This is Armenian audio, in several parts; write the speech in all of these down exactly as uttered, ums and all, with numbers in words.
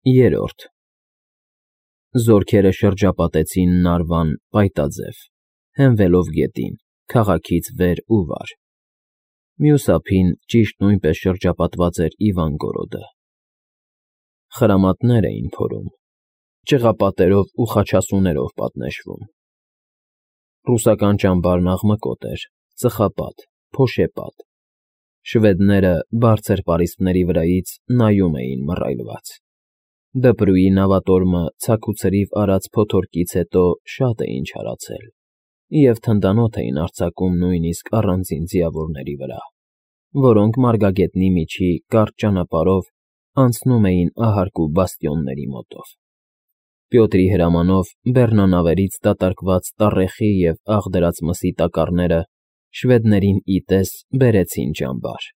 Երրորդ Զորքերը շրջապատեցին Նարվան պայտաձև, հենվելով գետին, քաղաքից վեր ու վար. մյուս ափին ճիշտ նույնպես շրջապատված էր Իվանգորոդը. խրամատներ էին փորում, ճղապատերով ու խաչասուներով պատնեշվում. ռուսական ճամբարն աղմկոտ էր, ծխապատ, փոշեպատ, շվեդները բարձր պարիսպների վրայից նայում էին մռայլված. Դպրուի նավատորմը ցաքուցրիվ արած փոթորկից հետո շատ էին չարացել և թնդանոթ էին արձակում նույնիսկ առանձին ձիավորների վրա, որոնք մարգագետնի միջի կարճ ճանապարհով անցնում էին ահարկու բաստիոնների մոտով։ Պյոտրի հրամանով բեռնանավերից դատարկված տառեխի և աղդրած մսի տակառները շվեդներին ի տես բերեցին ճամբար։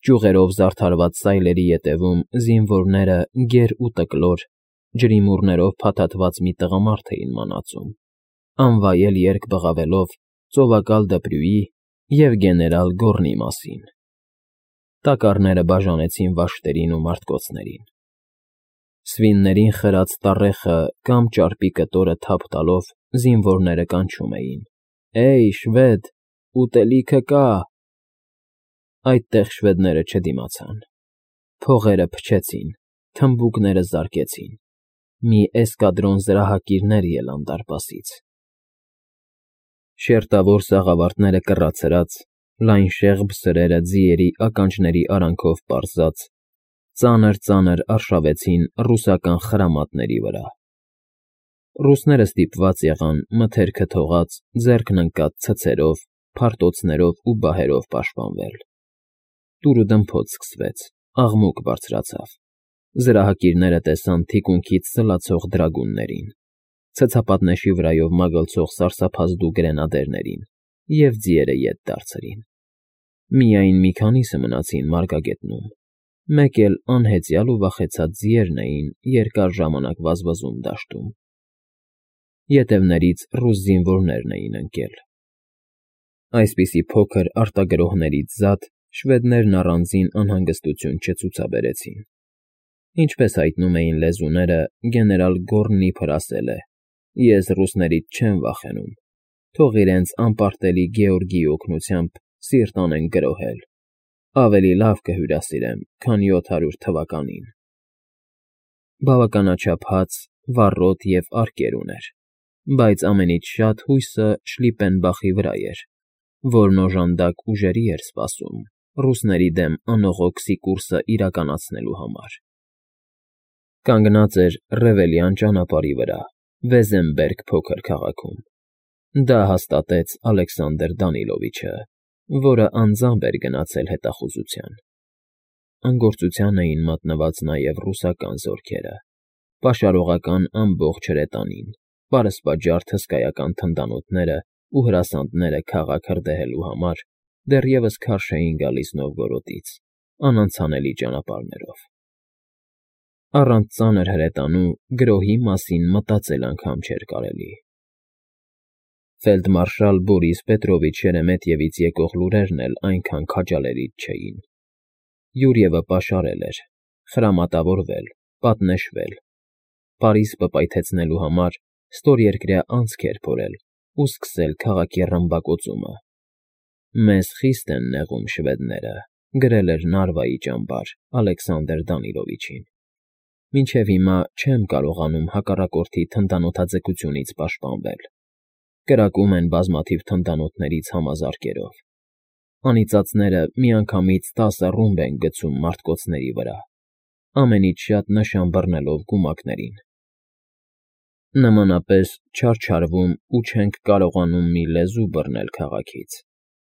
Ճյուղերով զարդարված սայլերի ետևում զինվորները գեր ու տկլոր, ջրիմուռներով փաթաթված մի տղամարդ էին մանածում, անվայել երգ բղավելով ծովակալ դպրուի և գեներալ Գոռնի մասին։ Տակառները բաժանեցին վաշտերին ու մարտկոցներին։ Սվիններին խրած տառեխը կամ ճարպի կտորը թափ տալով զինվորները կանչում էին. «Է՜յ, շվեդ, ուտելիքը կա»։ Այդտեղ շվեդները չդիմացան։ Փողերը փչեցին, թմբուկները զարկեցին, մի էսկադրոն զրահակիրներ ելան դարպասից։ Շերտավոր սաղավարտները կռացրած, լայն շեղբ սրերը ձիերի ականջների արանքով պարզած, ծանր֊ծանր արշավեցին ռուսական խրամատների վրա։ Ռուսները ստիպված եղան մթերքը թողած, ձեռքն ընկած ցցերով, փարտոցներով ու բահերով պաշտպանվել։ Տուրուդմփոց սկսվեց, աղմուկ բարձրացավ։ Զրահակիրները տեսան թիկունքից սլացող դրագուններին, ցցապատնեշի վրայով մագլցող սարսափազդու գրենադերներին և ձիերը ետ դարձրին։ Միայն մի քանիսը մնացին մարգագետնում, մեկ էլ անհեծյալ ու վախեցած ձիերն էին երկար ժամանակ վազվզում դաշտում։ Ետևներից ռուս զինվորներն էին ընկել։ Այսպիսի փոքր արտագրոհներից զատ շվեդներն առանձին անհանգստություն չցուցաբերեցին։ Ինչպես հայտնում էին լեզուները, գեներալ Գոռնի ասել է. «Ես ռուսներից չեմ վախենում, թող իրենց անպարտելի Գեորգիի օգնությամբ սիրտ անեն գրոհել, ավելի լավ կհյուրասիրեմ, քան յոթ հարյուր թվականին»։ Բավականաչափ հաց, վառոդ և արկեր ուներ, բայց ամենից շատ հույսը Շլիպպենբախի վրա էր, որն օժանդակ ուժերի էր սպասում ռուսների դեմ անողոք սիկուրսը իրականացնելու համար։ Կանգնած էր Ռևելյան ճանապարհի վրա, Վեզեմբերգ փոքր քաղաքում։ Դա հաստատեց Ալեքսանդր Դանիլովիչը, որը անձամբ էր գնացել հետախուզության։ Անգործության էին մատնված նաև ռուսական զորքերը, պաշարողական ամբողջ հրետանին, պարսպաջարդ հսկայական թնդանոթները ու հրասանները քաղաք հրդեհելու համար դեռևս քարշ էին գալիս Նովգորոդից, անանցանելի ճանապարհներով։ Առանց ծանր հրետանու գրոհի մասին մտածել անգամ չէր կարելի։ Ֆելդմարշալ Բորիս Պետրովիչ Շերեմետյևից եկող լուրերն էլ այնքան քաջալերիչ չէին։ Յուրիևը պաշարել էր, խրամատավորվել, պատնեշվել, Պարիսպը պայթեցնելու համար ստորերկրյա անցք էր փորել ու սկսել քաղաքի ռմբակոծումը։ «Մեզ խիստ են նեղում շվեդները», գրել էր Նարվայի ճամբար Ալեքսանդր Դանիլովիչին։ «Մինչև հիմա չեմ կարողանում հակառակորդի թնդանոթաձգությունից պաշտպանվել։ Կրակում են բազմաթիվ թնդանոթներից համազարկերով։ Անիծածները միանգամից տասը ռումբ են գցում մարտկոցների վրա, ամենից շատ նշան բռնելով գումակներին։ Նմանապես չարչարվում ու չենք կարողանում մի լեզու բռնել քաղաքից։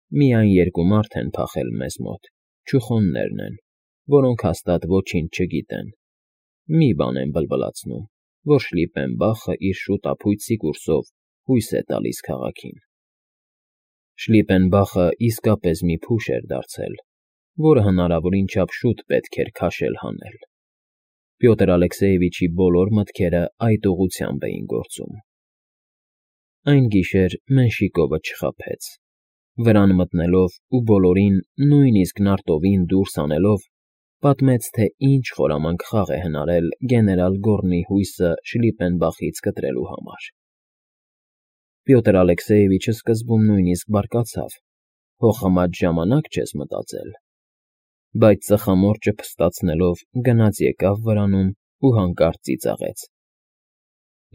Միայն երկու մարդ են փախել մեզ մոտ, չուխոններն են, որոնք հաստատ ոչինչ չգիտեն։ Մի բան են բլբլացնում, որ Շլիպպենբախը իր շուտ֊ապույտ սիկուրսով հույս է տալիս քաղաքին»։ Շլիպպենբախը իսկապես մի փուշ էր դարձել, որը հնարավորին չափ շուտ պետք էր քաշել հանել։ Պյոտր Ալեքսեևիչի բոլոր մտքերը այդ ուղղությամբ էին գործում։ Այն գիշեր Մենշիկովը չխաբեց։ Վրան մտնելով ու բոլորին, նույնիսկ նարտովին դուրս անելով, պատմեց, թե ինչ խորամանկ խաղ է հնարել գեներալ Գոռնի հույսը Շլիպենբախից կտրելու համար։ Պյոտր Ալեքսեևիչը սկզբում նույնիսկ բարկացավ. «Հոխամած ժամանակ չես մտածել», բայց ծխամորճը փստացնելով գնաց եկավ վրանում ու հանկարծ ծիծաղեց.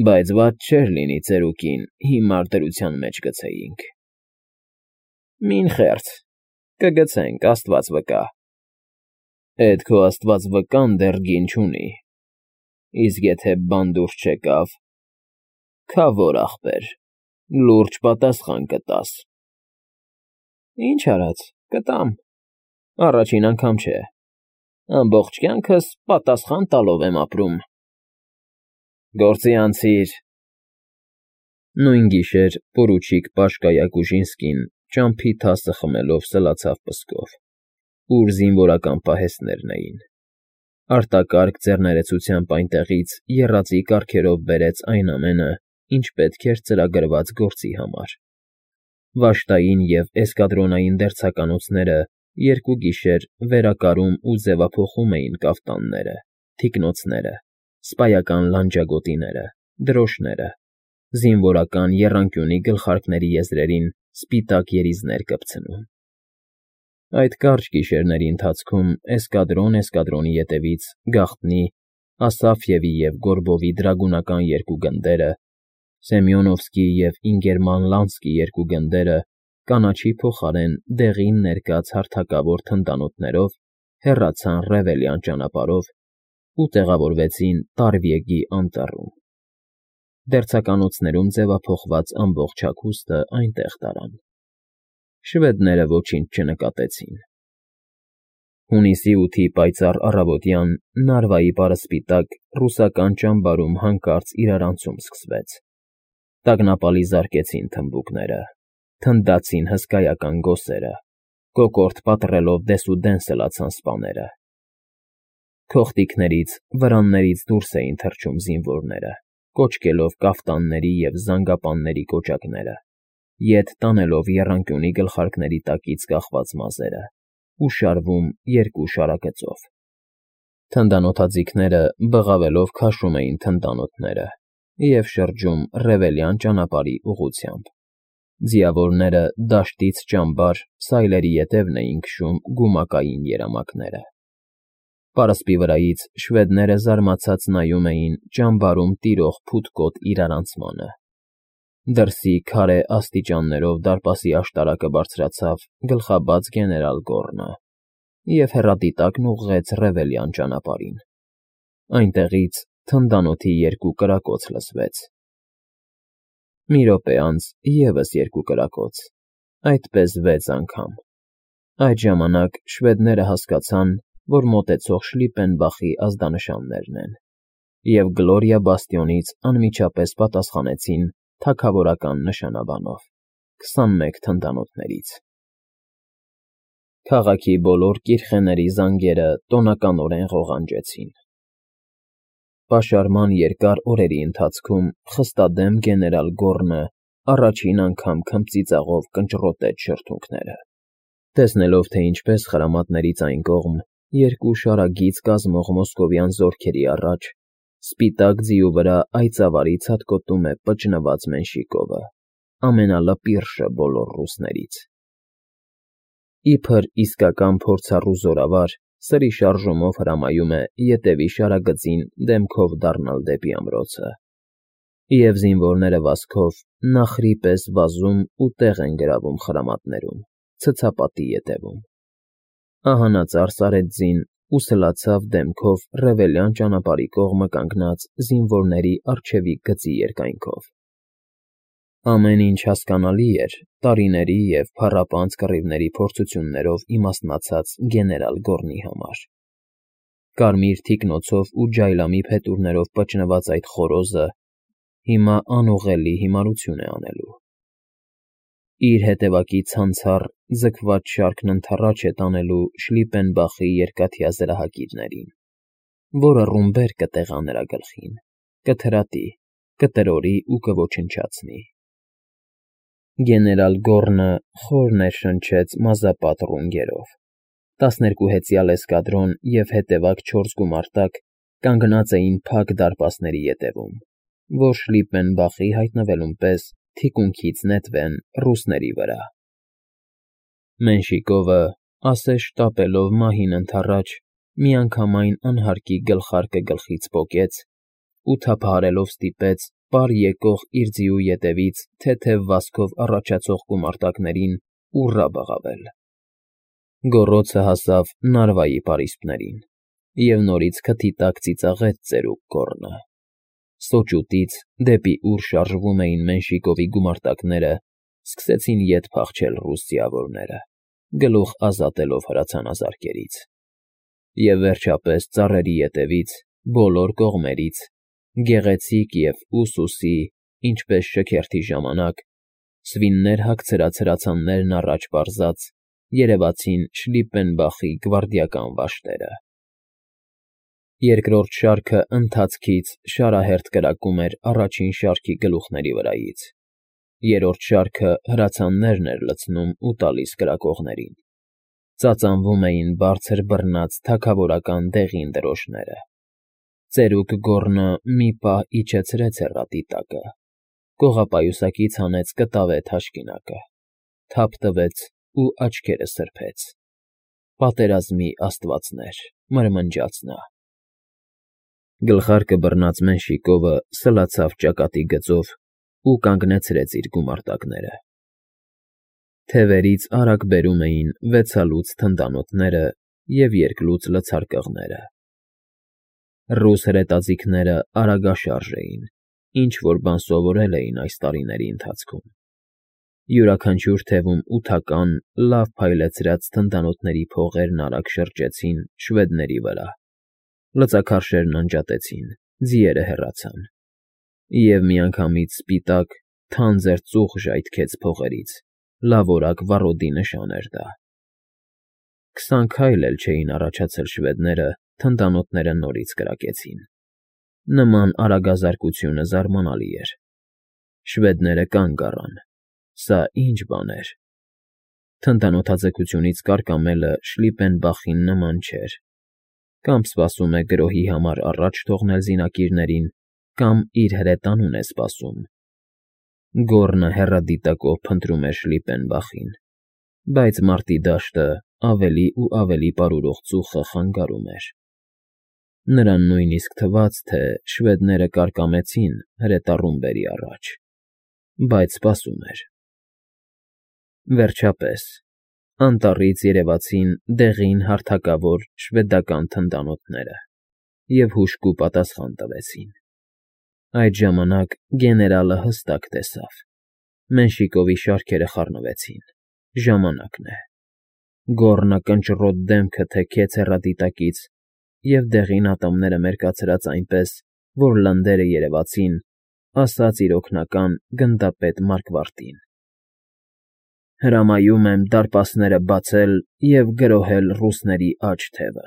«Բայց վատ չէր լինի ծերուկին հիմար դրության մեջ գցեինք»։ «Մին խեղճ, կգցենք, աստված վկա»։ «Էդ քո աստված վկան դեռ գին չունի, իսկ եթե բանդուր չեկավ, քավոր ախպեր, լուրջ պատասխան կտաս»։ «Ինչ արած, կտամ, առաջին անգամ չէ, ամբողջ կյանքս պատասխան տալով եմ ապրում»։ «Գործի անցիր»։ Նույն գիշեր պորուչիկ Պաշկա Յակուժինսկին ճամփի թասը խմելով սլացավ պսկով, ուր զինվորական պահեստներն էին։ Արտակարգ ձեռներեցությամբ այնտեղից եռածի կարգերով բերեց այն ամենը, ինչ պետք էր ծրագրված գործի համար։ Վաշտային և էսկադրոնային դերձակալոցները երկու գիշեր վերակարում ու ձևափոխում էին կաֆտանները, թիկնոցները, սպայական լանջագոտիները, դրոշները, զինվորական եռանկյունի գլխարկների եզրերին սպիտակ երիզներ կպցնում։ Այդ կարճ գիշերների ընթացքում էսկադրոն էսկադրոնի ետևից գաղտնի Ասաֆյևի և Գորբովի դրագունական երկու գնդերը, Սեմյոնովսկի և Ինգերման Լանսկի երկու գնդերը կանաչի փոխարեն դեղին ներկած հարթակավոր թնդանոթներով հեռացան Ռևելյան ճանապարհով ու տեղավորվեցին Տարվիեգի անտառում։ Դերձականոցներում ձևափոխված ամբողջ հագուստը այնտեղ տարան։ Շվեդները ոչինչ չնկատեցին։ Հունիսի ութի պայծառ առավոտյան Նարվայի պարսպիտակ ռուսական ճամբարում հանկարծ իրարանցում սկսվեց։ Տագնապալի զարկեցին թմբուկները, թնդացին հսկայական գոսերը, կոկորդ պատռելով դեսուդեն սլացան սպաները։ Քողտիկներից, վրաններից դուրս էին թռչում զինվորները, կոչկելով կաֆտանների և զանգապանների կոճակները, ետ տանելով եռանկյունի գլխարկների տակից կախված մազերը ու շարվում երկու շարագծով։ Թնդանոթաձիգները բղավելով քաշում էին թնդանոթները և շրջում Ռևելյան ճանապարհի ուղղությամբ։ Ձիավորները դաշտից ճամբար սայլերի ետևն էին քշում գումակային երամակները։ Պարսպի վրայից շվեդները զարմացած նայում էին ճամբարում տիրող փութկոտ իրարանցմանը։ Դրսի քարե աստիճաններով դարպասի աշտարակը բարձրացավ գլխաբաց գեներալ Գոռնը և հեռադիտակն ուղղեց Ռևելյան ճանապարհին։ Այնտեղից թնդանոթի երկու կրակոց լսվեց։ Մի րոպե անց ևս երկու կրակոց, այդպես վեց անգամ։ Այդ ժամանակ շվեդները հասկացան, որ մոտեցող Շլիպենբախի ազդանշաններն են, և Գլորիա բաստիոնից անմիջապես պատասխանեցին թագավորական նշանաբանով՝ քսանմեկ թնդանոթներից։ Քաղաքի բոլոր կիրխեների զանգերը տոնականորեն ղողանջեցին։ Պաշարման երկար օրերի ընթացքում խստադեմ գեներալ Գոռնը առաջին անգամ քմծիծաղով կնճռոտեց շրթունքները։ Տեսնելով, թե ինչպես խրամատներից այն կողմ երկու շարագիծ կազմող մոսկովյան զորքերի առաջ սպիտակ ձիու վրա այծավարի ցատկոտում է պճնված Մենշիկովը, ամենալպիրշը բոլոր ռուսներից։ Իբր իսկական փորձառու զորավար սրի շարժումով հրամայում է ետևի շարագծին դեմքով դառնալ դեպի ամրոցը, և զինվորները վազքով նախրի պես վազում ու տեղ են գրավում խրամատներում, ցցապատի ետևում։ Ահանածառ արեց ձին ու սլացավ դեմքով Ռևելյան ճանապարհի կողմը կանգնած զինվորների առջևի գծի երկայնքով։ Ամեն ինչ հասկանալի էր տարիների և փառապանծ կռիվների փորձություններով իմաստնացած գեներալ Գոռնի համար։ Կարմիր թիկնոցով ու ջայլամի փետուրներով պճնված այդ խոռոզը հիմա անուղղելի հիմարություն է անելու։ Իր հետևակի ցանցառ, ձգված շարքն ընդառաջ է տանելու Շլիպենբախի երկաթյա զրահագիրներին, որը ռումբեր կտեղա նրա գլխին, կթրատի, կտրորի ու կոչնչացնի։ Գեներալ Գոռնը խոր ներշնչեց մազապատ ռունգերով, Տասներկու հեծյալ էսկադրոն և հետևակ չորս գումարտակ կանգնած էին փակ դարպասների ետևում, որ Շլիպպենբախի հայտնվելուն պես թիկունքից նետվեն ռուսների վրա։ Մենշիկովը, ասես շտապելով մահին ընդառաջ, միանգամայն անհարկի գլխարկը գլխից պոկեց ու թափահարելով ստիպեց պար եկող իր ձիու ետևից թեթև վազքով առաջացող գումարտակներին ուռա բղավել։ Գոռոցը հասավ նարվայի պարիսպներին, և նորից քթի տակ ծիծաղեց ծերուկ գոռնը։ Սոճուտից, դեպի ուր շարժվում էին Մենշիկովի գումարտակները, սկսեցին ետ փախչել ռուս ձիավորները, գլուխ ազատելով հրացանազարկերից։ Եվ վերջապես ծառերի ետևից, բոլոր կողմերից, գեղեցիկ և ուսուսի, ինչպես շքերթի ժամանակ, սվիններ հագցրած հրացաններն առաջ պարզած, երևացին Շլիպպենբախի գվարդիական վաշտերը։ Երկրորդ շարքը ընթացքից շարահերթ կրակում էր առաջին շարքի գլուխների վրայից, երրորդ շարքը հրացաններն էր լցնում ու տալիս կրակողներին, ծածանվում էին բարձր բռնած թագավորական դեղին դրոշները։ Ծերուկ գոռնը մի պահ իջեցրեց հեռատի տակը, կողապայուսակից հանեց կտավե թաշկինակը, թափ տվեց ու աչքերը սրբեց։ Պատերազմի աստվածներ, մրմնջաց նա։ Գլխարկը բռնած Մենշիկովը սլացավ ճակատի գծով ու կանգնեցրեց իր գումարտակները։ Թևերից արագ բերում էին վեցալուց թնդանոթները և երկլուց լցարկղները։ Ռուս հրետաձիգները արագաշարժ էին, ինչ֊որ բան սովորել էին այս տարիների ընթացքում։ Յուրաքանչյուր թևում ութական, լավ փայլեցրած թնդանոթների փողերն արագ շրջեցին շվեդների վրա, լծաքարշերն անջատեցին, ձիերը հեռացան, և միանգամից սպիտակ, թանձր ծուխ ժայթքեց փողերից, լավորակ վառոդի նշան էր դա։ Քսան քայլ էլ չէին առաջացել շվեդները, թնդանոթները նորից կրակեցին։ Նման արագազարկությունը զարմանալի էր։ Շվեդները կանգ առան։ Սա ի՞նչ բան էր։ Թնդանոթաձգությունից կարկամելը Շլիպպենբախին նման չէր։ Կամ սպասում է գրոհի համար առաջ թողնել զինակիրներին, կամ իր հրետանուն է սպասում։ Գոռնը հեռադիտակով փնտրում էր Շլիպպենբախին, բայց մարտի դաշտը, ավելի ու ավելի պարուրող ծուխը խանգարում էր։ Նրան նույնիսկ թվաց, թե շվեդները կարկամեցին հրետառումբերի առաջ, բայց սպասում էր։ Վերջապես, անտառից երևացին դեղին հարթակավոր շվեդական թնդանոթները և հուժկու պատասխան տվեցին։ Այդ ժամանակ գեներալը հստակ տեսավ. Մենշիկովի շարքերը խառնվեցին, ժամանակն է։ Գոռնը կնճռոտ դեմքը թեքեց հեռադիտակից, և դեղին ատամները մերկացրած այնպես, որ լնդերը երևացին, ասաց իր օգնական, գնդապետ Մարկվարտին. «Հրամայում եմ դարպասները բացել և գրոհել ռուսների աջ թևը»։